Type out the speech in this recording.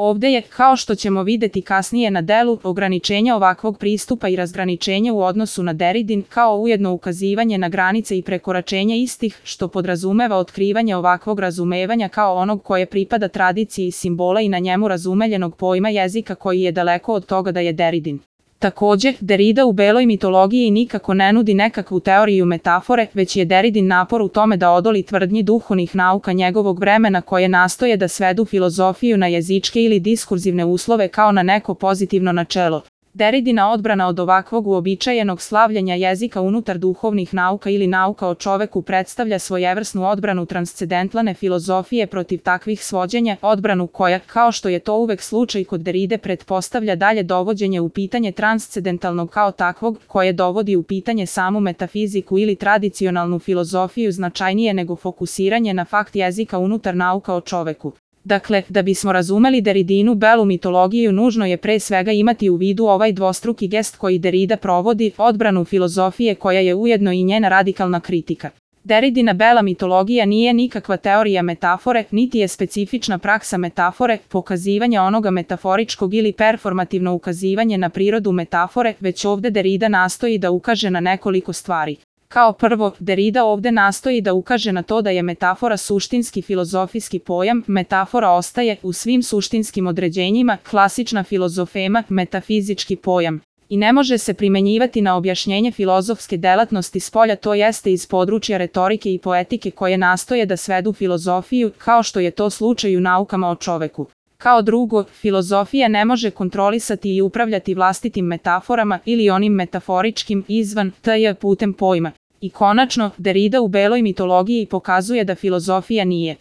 Ovde je, kao što ćemo videti kasnije na delu, ograničenje ovakvog pristupa i razgraničenje u odnosu na Deridin, kao ujedno ukazivanje na granice i prekoračenje istih, što podrazumeva otkrivanje ovakvog razumevanja kao onog koje pripada tradiciji simbola i na njemu razumeljenog pojma jezika koji je daleko od toga da je Deridin. Takođe, Derrida u beloj mitologiji nikako ne nudi nekakvu teoriju metafore, već je Deridin napor u tome da odoli tvrdnji duhovnih nauka njegovog vremena koje nastoje da svedu filozofiju na jezičke ili diskurzivne uslove kao na neko pozitivno načelo. Deridina odbrana od ovakvog uobičajenog slavljenja jezika unutar duhovnih nauka ili nauka o čoveku predstavlja svojevrsnu odbranu transcendentalne filozofije protiv takvih svođenja, odbranu koja, kao što je to uvek slučaj kod Derride, pretpostavlja dalje dovođenje u pitanje transcendentalnog kao takvog, koje dovodi u pitanje samu metafiziku ili tradicionalnu filozofiju značajnije nego fokusiranje na fakt jezika unutar nauka o čoveku. Dakle, da bismo razumeli Derridinu belu mitologiju nužno je pre svega imati u vidu ovaj dvostruki gest koji Derrida provodi, odbranu filozofije koja je ujedno i njena radikalna kritika. Derridina bela mitologija nije nikakva teorija metafore, niti je specifična praksa metafore, pokazivanje onoga metaforičkog ili performativno ukazivanje na prirodu metafore, već ovde Derrida nastoji da ukaže na nekoliko stvari. Kao prvo, Derrida ovde nastoji da ukaže na to da je metafora suštinski filozofijski pojam, metafora ostaje, u svim suštinskim određenjima, klasična filozofema, metafizički pojam. I ne može se primenjivati na objašnjenje filozofske delatnosti spolja, to jeste iz područja retorike i poetike koje nastoje da svedu filozofiju, kao što je to slučaj u naukama o čoveku. Kao drugo, filozofija ne može kontrolisati i upravljati vlastitim metaforama ili onim metaforičkim izvan t.j. putem pojma. I konačno, Derrida u beloj mitologiji pokazuje da filozofija nije